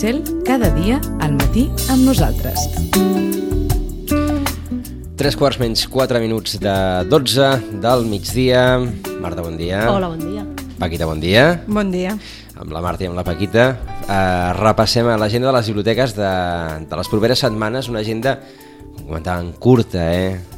Cel, cada dia al matí amb nosaltres. 3:04 de 12 del migdia. Marta, bon dia. Hola, bon dia. Paquita, bon dia. Bon dia. Amb la Marta i amb la Paquita repassem l'agenda de les biblioteques de les properes setmanes, una agenda, com comentàvem, curta,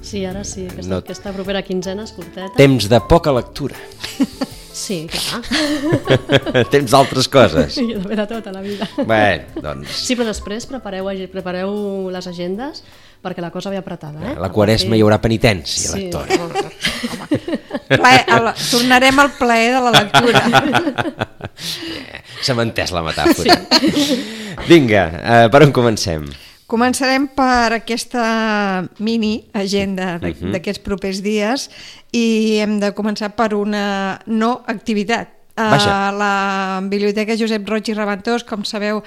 Sí, ara sí, aquesta propera quinzena és curteta. Temps de poca lectura. Sí, clar. Temps d'altres coses. Sí, de tota la vida. Bé, doncs... Sí, però després prepareu les agendes perquè la cosa ve apretada. La Quaresma hi haurà penitència, lectora. Tornarem al plaer de la lectura. S'ha entès la metàfora. Vinga, per on comencem? Començarem per aquesta mini agenda d'aquests propers dies i hem de començar per una no activitat. A la Biblioteca Josep Roig i Reventós, com sabeu,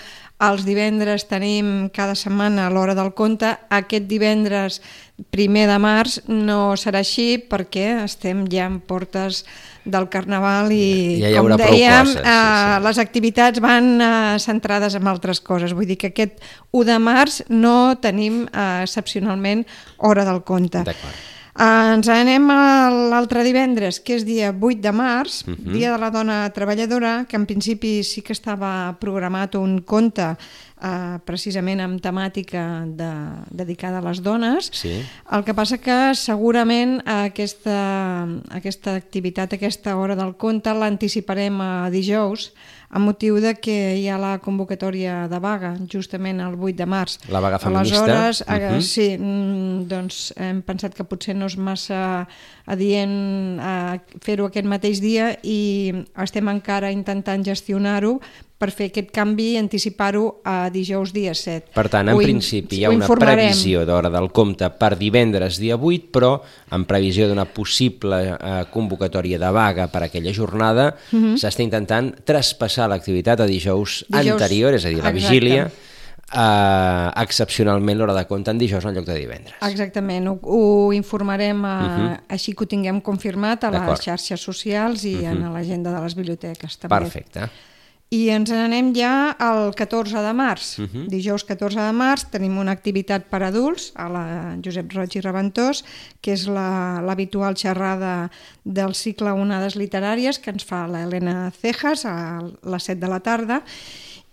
els divendres tenim cada setmana a l'Hora del Conte. Aquest divendres 1 de març no serà així perquè estem ja en portes del Carnaval i, ja com dèiem, sí. Les activitats van centrades en altres coses. Vull dir que aquest 1 de març no tenim excepcionalment Hora del Conte. D'acord. Ens anem a l'altre divendres, que és dia 8 de març, Dia de la Dona Treballadora, que en principi sí que estava programat un conte precisament amb temàtica dedicada a les dones. Sí. El que passa que segurament aquesta activitat, aquesta Hora del Conte, l'anticiparem a dijous, amb motiu de que hi ha la convocatòria de vaga, justament el 8 de març. La vaga feminista. Aleshores, sí, doncs hem pensat que potser no és massa adient fer-ho aquest mateix dia i estem encara intentant gestionar-ho per fer aquest canvi i anticipar-ho a dijous dia 7. Per tant, en principi hi ha una previsió d'Hora del Conte per divendres dia 8, però en previsió d'una possible convocatòria de vaga per aquella jornada, s'està intentant traspassar l'activitat a dijous anterior, és a dir, la vigília, excepcionalment l'Hora de Conte en dijous en lloc de divendres. Exactament, ho informarem així que ho tinguem confirmat a les xarxes socials i en l'agenda de les biblioteques també. Perfecte. I ens anem ja al 14 de març. Dijous 14 de març tenim una activitat per adults a la Josep Roig i Reventós, que és l'habitual xerrada del cicle Onades Literàries que ens fa l'Helena Cejas a les 7 de la tarda.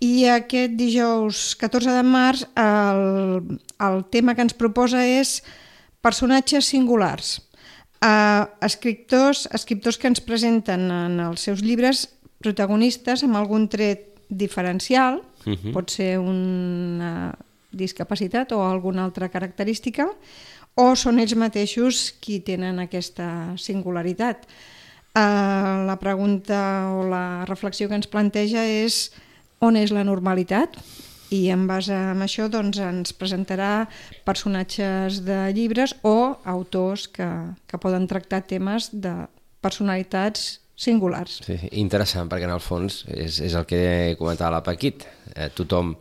I aquest dijous 14 de març el tema que ens proposa és personatges singulars. Escriptors que ens presenten en els seus llibres protagonistes amb algun tret diferencial, pot ser una discapacitat o alguna altra característica, o són ells mateixos qui tenen aquesta singularitat. La pregunta o la reflexió que ens planteja és on és la normalitat? I en base a això doncs, ens presentarà personatges de llibres o autors que poden tractar temes de personalitats singulars. Sí, interessant, perquè en el fons és el que comentava la Paquit. Tothom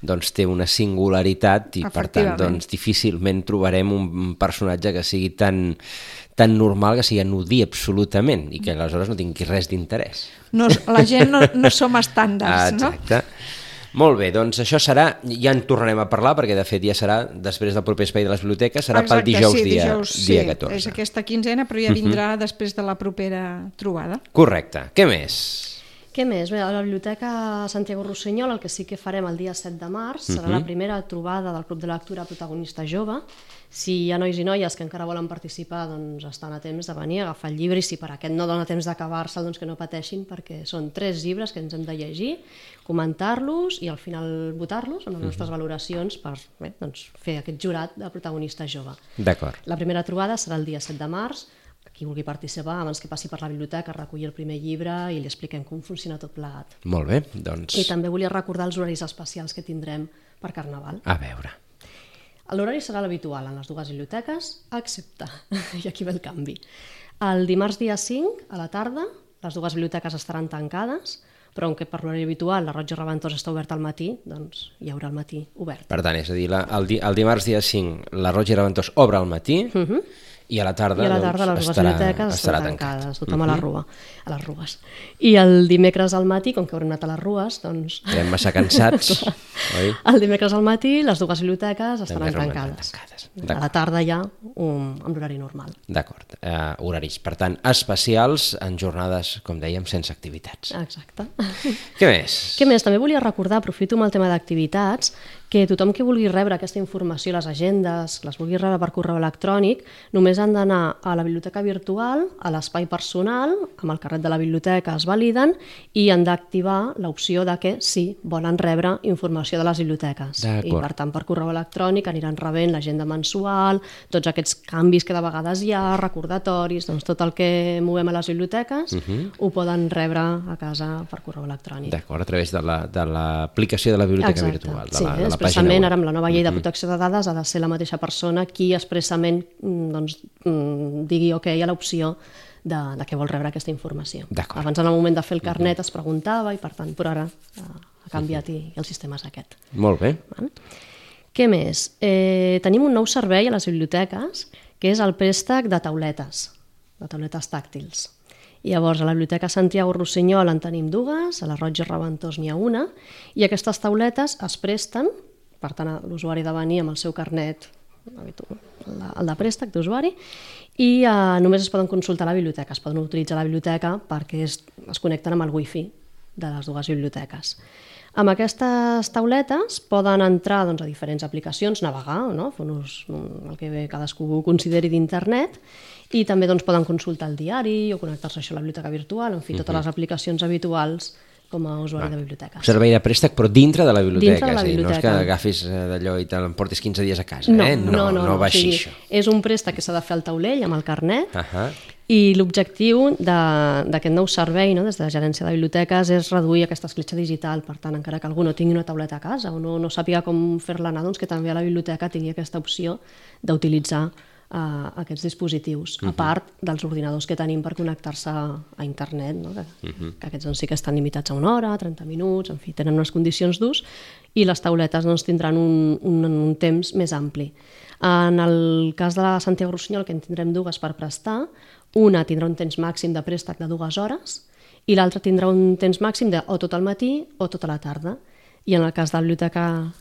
doncs, té una singularitat i per tant doncs, difícilment trobarem un personatge que sigui tan normal, que sigui anodí absolutament i que aleshores no tingui res d'interès. La gent no som estàndards, no? Exacte. Molt bé, doncs això serà, ja en tornarem a parlar, perquè de fet ja serà després del proper espai de les biblioteques, serà pel dijous, dia 14. És aquesta quinzena, però ja vindrà després de la propera trobada. Correcte. Què més? Què més? Bé, a la Biblioteca Santiago Rossinyol el que sí que farem el dia 7 de març serà la primera trobada del Club de Lectura Protagonista Jove. Si hi ha nois i noies que encara volen participar, doncs estan a temps de venir a agafar el llibre, i si per aquest no dona temps d'acabar-se'l, doncs que no pateixin, perquè són 3 llibres que ens hem de llegir, comentar-los i al final votar-los amb les nostres valoracions per fer aquest jurat de protagonista jove. D'acord. La primera trobada serà el dia 7 de març. Qui vulgui participar, abans que passi per la biblioteca, recollir el primer llibre i li expliquem com funciona tot plegat. Molt bé, doncs... I també volia recordar els horaris especials que tindrem per Carnaval. A veure. L'horari serà l'habitual en les 2 biblioteques, excepte, i aquí ve el canvi. El dimarts dia 5, a la tarda, les 2 biblioteques estaran tancades, però on que per l'horari habitual la Roig i Reventós està oberta al matí, doncs hi haurà el matí obert. Per tant, és a dir, el dimarts dia 5 la Roig i Reventós obre al matí I a la tarda, les dues biblioteques estan tancades, tothom a les rues. I el dimecres al matí, com que haurem anat a les rues, doncs... Estarem massa cansats, oi? El dimecres al matí les dues biblioteques estaran tancades. A la tarda ja, amb l'horari normal. D'acord. Horaris, per tant, especials en jornades, com dèiem, sense activitats. Exacte. Què més? Què més? També volia recordar, aprofito amb el tema d'activitats, que tothom que vulgui rebre aquesta informació, les agendes, les vulgui rebre per correu electrònic, només han d'anar a la biblioteca virtual, a l'espai personal, amb el carnet de la biblioteca es validen i han d'activar l'opció de que sí, volen rebre informació de les biblioteques. I per tant, per correu electrònic aniran rebent l'agenda mensual, tots aquests canvis que de vegades hi ha, recordatoris, doncs tot el que movem a les biblioteques ho poden rebre a casa per correu electrònic. D'acord, a través de l'aplicació de la biblioteca virtual, de la expressament, ara amb la nova llei de protecció de dades ha de ser la mateixa persona qui expressament digui ok a l'opció de què vol rebre aquesta informació. Abans, en el moment de fer el carnet, es preguntava i, per tant, però ara ha canviat i el sistema és aquest. Molt bé. Què més? Tenim un nou servei a les biblioteques, que és el préstec de tauletes tàctils. Llavors, a la Biblioteca Santiago Rossinyol en tenim dues, a la Roig i Reventós n'hi ha una, i aquestes tauletes es presten, per tant, l'usuari ha de venir amb el seu carnet, el de préstec d'usuari, i només es poden consultar a la biblioteca, es poden utilitzar a la biblioteca perquè es connecten amb el wifi de les dues biblioteques. Amb aquestes tauletes poden entrar a diferents aplicacions, navegar, fer el que cadascú consideri d'internet, i també poden consultar el diari o connectar-se a la biblioteca virtual, en fi, totes les aplicacions habituals com a usuari de biblioteques. Un servei de préstec, però dintre de la biblioteca. Dintre de la biblioteca. No és que agafis d'allò i te l'emportis 15 dies a casa. No va així, això. És un préstec que s'ha de fer al taulell amb el carnet, i l'objectiu d'aquest nou servei, des de la gerència de biblioteques, és reduir aquesta escletxa digital. Per tant, encara que algú no tingui una tauleta a casa o no sàpiga com fer-la anar, que també a la biblioteca tingui aquesta opció d'utilitzar aquests dispositius, a part dels ordinadors que tenim per connectar-se a internet, que aquests sí que estan limitats a 1 hora, 30 minuts, en fi, tenen unes condicions d'ús, i les tauletes tindran un temps més ampli. En el cas de la Santiago Rossinyol, que en tindrem dues per prestar, una tindrà un temps màxim de préstec de 2 hores i l'altra tindrà un temps màxim de o tot el matí o tota la tarda. I en el cas de la biblioteca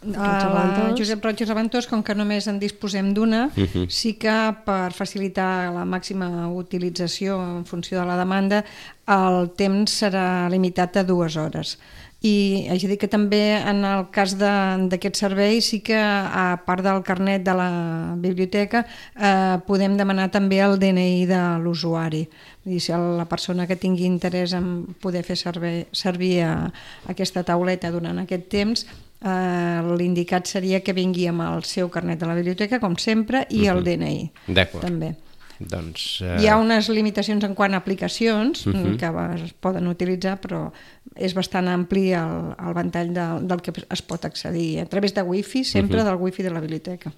Josep Roig i Reventós, com que només en disposem d'una, sí que per facilitar la màxima utilització en funció de la demanda, el temps serà limitat a 2 hores. I haig de dir que també en el cas d'aquest servei sí que, a part del carnet de la biblioteca, podem demanar també el DNI de l'usuari. Si la persona que tingui interès en poder fer servir aquesta tauleta durant aquest temps, l'indicat seria que vingui amb el seu carnet de la biblioteca, com sempre, i el DNI. D'acord. També. Doncs, hi ha unes limitacions en quant a aplicacions que es poden utilitzar, però és bastant ampli el ventall del que es pot accedir a través de wifi, sempre del wifi de la biblioteca.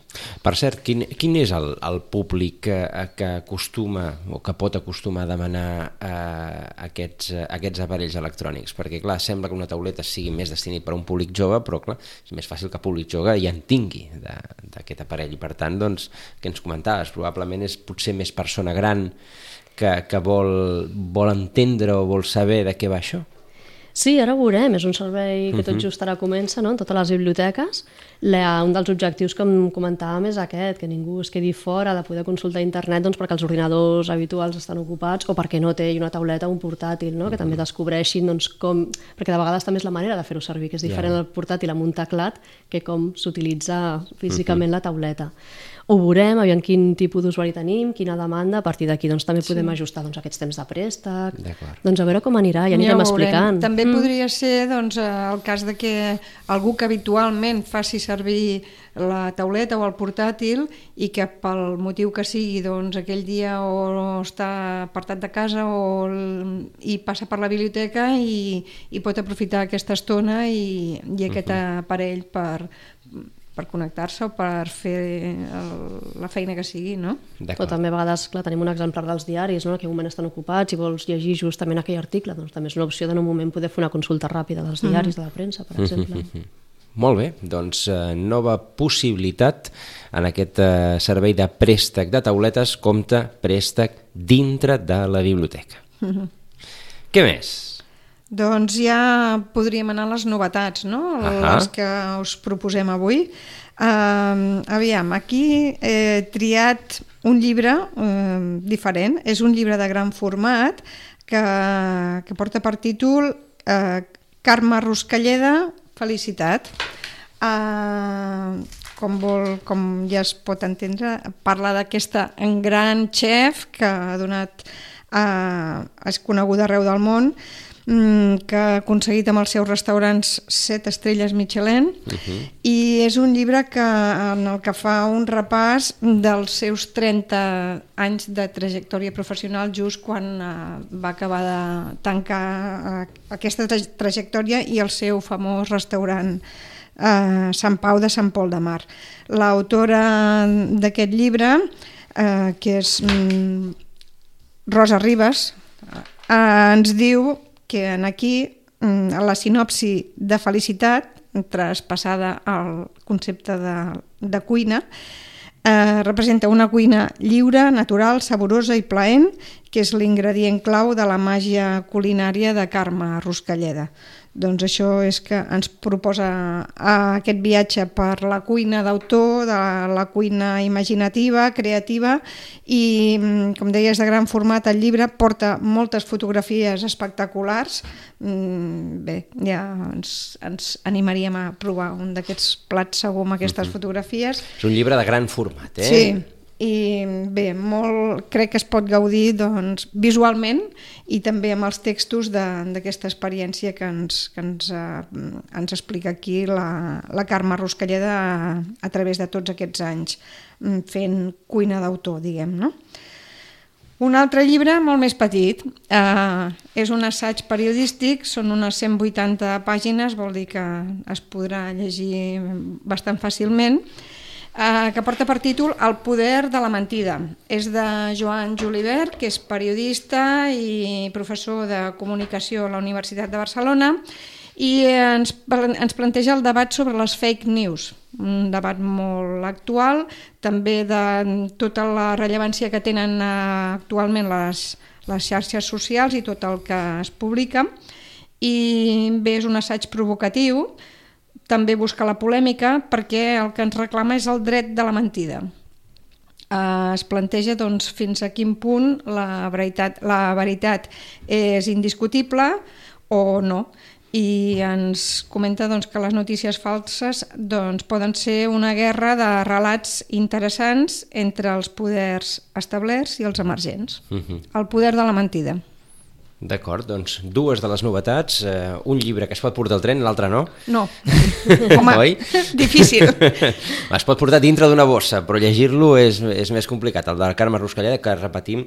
Per cert, quin és el públic que acostuma o que pot acostumar a demanar aquests aparells electrònics? Perquè, clar, sembla que una tauleta sigui més destinat per a un públic jove, però, clar, és més fàcil que el públic jove ja en tingui d'aquest aparell. I, per tant, doncs, que ens comentaves, probablement és potser més persona gran que vol entendre o vol saber de què va això. Sí, ara ho veurem, és un servei que tot just ara comença, en totes les biblioteques. Un dels objectius que em comentàvem és aquest, que ningú es quedi fora de poder consultar internet perquè els ordinadors habituals estan ocupats o perquè no té una tauleta o un portàtil, que també descobreixin com... Perquè de vegades també és la manera de fer-ho servir, que és diferent el portàtil amb un teclat que com s'utilitza físicament la tauleta. Ho veurem, aviam quin tipus d'usuari tenim, quina demanda, a partir d'aquí també podem ajustar aquests temps de préstec, a veure com anirà, ja anirem explicant. També podria ser el cas de que algú que habitualment faci servir la tauleta o el portàtil i que pel motiu que sigui aquell dia o està apartat de casa i passa per la biblioteca i pot aprofitar aquesta estona i aquest aparell per connectar-se o per fer la feina que sigui, no? O també a vegades, clar, tenim un exemplar dels diaris, en aquell moment estan ocupats i vols llegir justament aquell article, doncs també és una opció de en un moment poder fer una consulta ràpida dels diaris, de la premsa, per exemple. Molt bé, doncs nova possibilitat en aquest servei de préstec de tauletes, compte préstec dintre de la biblioteca. Què més? Doncs ja podríem anar a les novetats, no? Les que us proposem avui. Aviam, aquí he triat un llibre diferent. És un llibre de gran format que porta per títol Carme Ruscalleda, felicitat. Com ja es pot entendre, parla d'aquesta gran chef que és coneguda arreu del món, que ha aconseguit amb els seus restaurants 7 estrelles Michelin, i és un llibre en el que fa un repàs dels seus 30 anys de trajectòria professional, just quan va acabar de tancar aquesta trajectòria i el seu famós restaurant Sant Pau de Sant Pol de Mar. L'autora d'aquest llibre, que és Rosa Ribas, ens diu que aquí la sinopsi de felicitat, traspassada al concepte de cuina, representa una cuina lliure, natural, saborosa i plaent, que és l'ingredient clau de la màgia culinària de Carme Ruscalleda. Doncs això és que ens proposa aquest viatge per la cuina d'autor, de la cuina imaginativa, creativa, i, com deia, és de gran format. El llibre porta moltes fotografies espectaculars. Bé, ja ens animaríem a provar un d'aquests plats segur amb aquestes fotografies. És un llibre de gran format, eh? Sí. I bé, crec que es pot gaudir visualment i també amb els textos d'aquesta experiència que ens explica aquí la Carme Ruscalleda a través de tots aquests anys fent cuina d'autor, diguem, no? Un altre llibre molt més petit, és un assaig periodístic, són unes 180 pàgines, vol dir que es podrà llegir bastant fàcilment, que porta per títol El poder de la mentida. És de Joan Julivert, que és periodista i professor de comunicació a la Universitat de Barcelona, i ens planteja el debat sobre les fake news, un debat molt actual, també de tota la rellevància que tenen actualment les xarxes socials i tot el que es publica. I bé, és un assaig provocatiu, també busca la polèmica, perquè el que ens reclama és el dret de la mentida. Es planteja fins a quin punt la veritat és indiscutible o no, i ens comenta que les notícies falses poden ser una guerra de relats interessants entre els poders establerts i els emergents. El poder de la mentida. D'acord, doncs dues de les novetats, un llibre que es pot portar al tren, l'altre no? No, home, difícil. Es pot portar dintre d'una bossa, però llegir-lo és més complicat. El de Carme Ruscalleda, que repetim,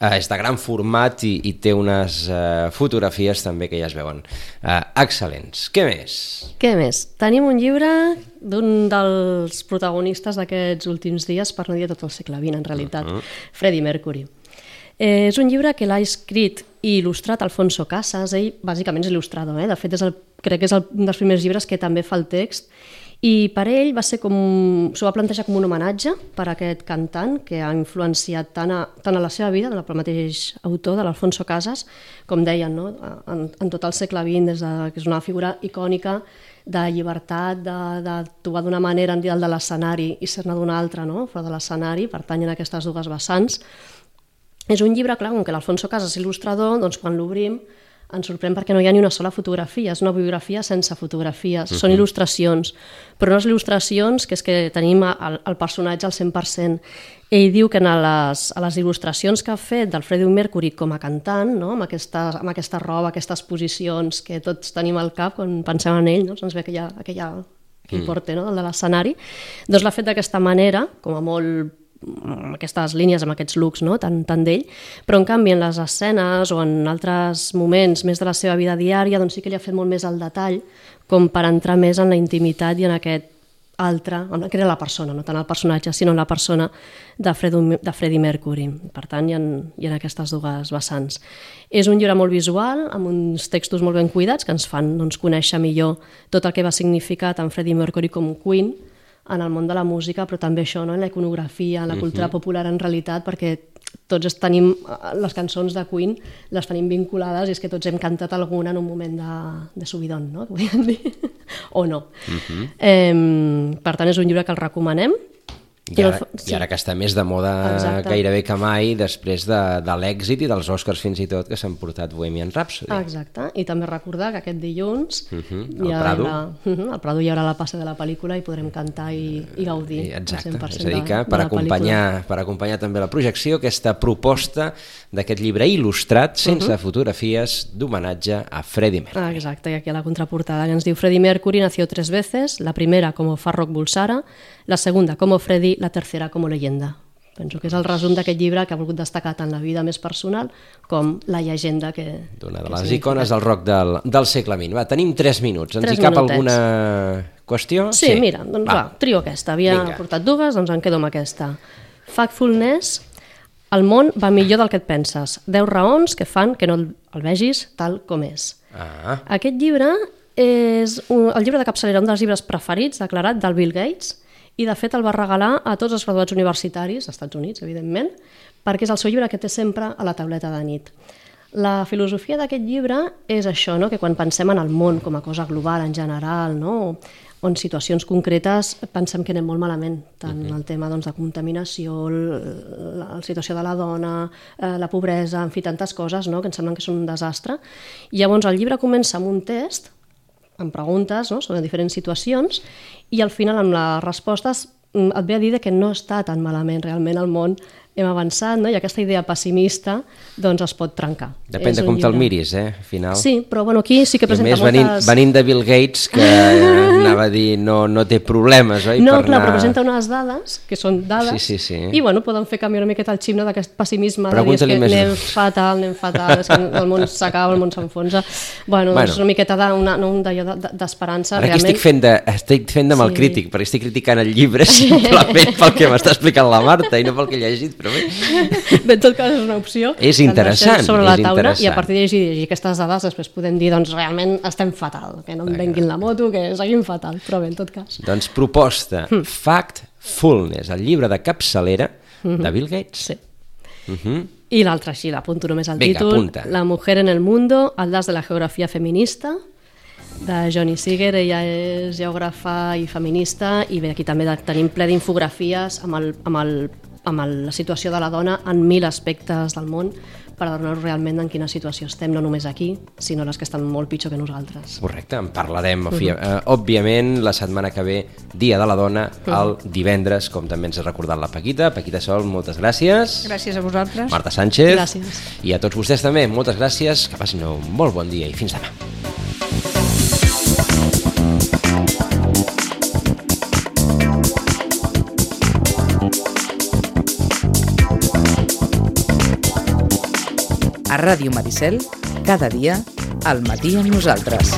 és de gran format i té unes fotografies també que ja es veuen excel·lents. Què més? Què més? Tenim un llibre d'un dels protagonistes d'aquests últims dies, per no dir tot el segle XX, en realitat, Freddie Mercury. És un llibre que l'ha escrit i il·lustrat Alfonso Casas. Ell bàsicament és il·lustrador, de fet crec que és un dels primers llibres que també fa el text, i per ell s'ho va plantejar com un homenatge per a aquest cantant que ha influenciat tant a la seva vida, del mateix autor, de l'Alfonso Casas, com deien, no? En tot el segle XX, que és una figura icònica de llibertat, d'actuar d'una manera en dalt de l'escenari i ser-ne d'una altra, no? Fora de l'escenari, pertanyen a aquestes dues vessants. És un llibre, clar, com que l'Alfonso Casas és il·lustrador, doncs quan l'obrim ens sorprèn perquè no hi ha ni una sola fotografia, és una biografia sense fotografies, són il·lustracions, però unes il·lustracions que és que tenim el personatge al 100%. Ell diu que a les il·lustracions que ha fet del Freddie Mercury com a cantant, no? amb aquesta roba, aquestes posicions que tots tenim al cap quan pensem en ell, no? Ens ve aquell porte, no? de l'escenari, doncs l'ha fet d'aquesta manera, com a molt amb aquestes línies, amb aquests looks, no? tant d'ell, però en canvi en les escenes o en altres moments més de la seva vida diària doncs sí que li ha fet molt més al detall, com per entrar més en la intimitat i en aquest altre, que era la persona, no tant el personatge, sinó la persona de Freddie Mercury. Per tant, hi ha aquestes dues vessants. És un llibre molt visual, amb uns textos molt ben cuidats, que ens fan conèixer millor tot el que va significar tant Freddie Mercury com Queen en el món de la música, però també això, en la iconografia, en la cultura popular en realitat, perquè tots tenim les cançons de Queen, les tenim vinculades i és que tots hem cantat alguna en un moment de subidon, no? Que podríem dir, o no. Per tant, és un llibre que el recomanem. I ara que està més de moda gairebé que mai, després de l'èxit i dels Oscars fins i tot que s'han portat Bohemian Rhapsody. Exacte, i també recordar que aquest dilluns al Prado hi haurà la passa de la pel·lícula i podrem cantar i gaudir. Exacte, és a dir que per acompanyar també la projecció, aquesta proposta d'aquest llibre il·lustrat sense fotografies d'homenatge a Freddie Mercury. Exacte, i aquí a la contraportada ens diu: Freddie Mercury nació 3 veces, la primera como Farrokh Bulsara, la segunda como Freddie, la tercera como leyenda. Penso que és el resum d'aquest llibre que ha volgut destacar tant la vida més personal com la llegenda que... D'una de les icones del rock del segle XX. Va, tenim 3 minuts. Ens hi cap alguna qüestió? Sí, mira, doncs va, trio aquesta. Havia portat dues, doncs em quedo amb aquesta. Factfulness, el món va millor del que et penses. 10 raons que fan que no el vegis tal com és. Aquest llibre és el llibre de capçalera, un dels llibres preferits, declarat, del Bill Gates, i de fet el va regalar a tots els graduats universitaris, als Estats Units, evidentment, perquè és el seu llibre que té sempre a la tauleta de nit. La filosofia d'aquest llibre és això, no? Que quan pensem en el món com a cosa global en general, no? O en situacions concretes pensem que anem molt malament, tant el tema de contaminació, la situació de la dona, la pobresa, en fi, tantes coses, no? Que ens semblen que són un desastre. I llavors el llibre comença amb un test, amb preguntes, no? Sobre diferents situacions, i al final amb les respostes et ve a dir que no està tan malament realment el món, hem avançat, no? I aquesta idea pessimista doncs es pot trencar. Depèn de com te'l miris, al final. Sí, però bueno, aquí sí que presenta moltes... venint de Bill Gates, que anava a dir no té problemes, oi? No, clar, però presenta unes dades, que són dades, sí. I bueno, poden fer canviar una miqueta el xip d'aquest pessimisme, de dir que anem fatal, és que el món s'acaba, el món s'enfonsa. Bueno, és una miqueta d'esperança. Ara aquí estic fent de mal crític, perquè estic criticant el llibre simplement pel que m'està explicant la Marta i no pel que he llegit, però bé. En tot cas és una opció. És interessant, sobre la taula, i a partir de llegir aquestes dades després podem dir, doncs realment estem fatal, que no em venguin la moto, que seguim fatal, però bé, en tot cas. Doncs proposta, Factfulness, el llibre de capçalera de Bill Gates. Sí. I l'altre, així, l'apunto només al títol, La mujer en el mundo, atlas de la geografia feminista, de Johnny Seeger. Ella és geògrafa i feminista, i bé, aquí també tenim ple d'infografies amb la situació de la dona en 1000 aspectes del món, per adonar-nos realment en quina situació estem, no només aquí, sinó les que estan molt pitjor que nosaltres. Correcte, en parlarem, òbviament, la setmana que ve, Dia de la Dona, el divendres, com també ens ha recordat la Paquita. Paquita Sol, moltes gràcies. Gràcies a vosaltres. Marta Sánchez. Gràcies. I a tots vostès també, moltes gràcies, que passin un molt bon dia i fins demà. A Ràdio Maricel, cada dia, al matí amb nosaltres.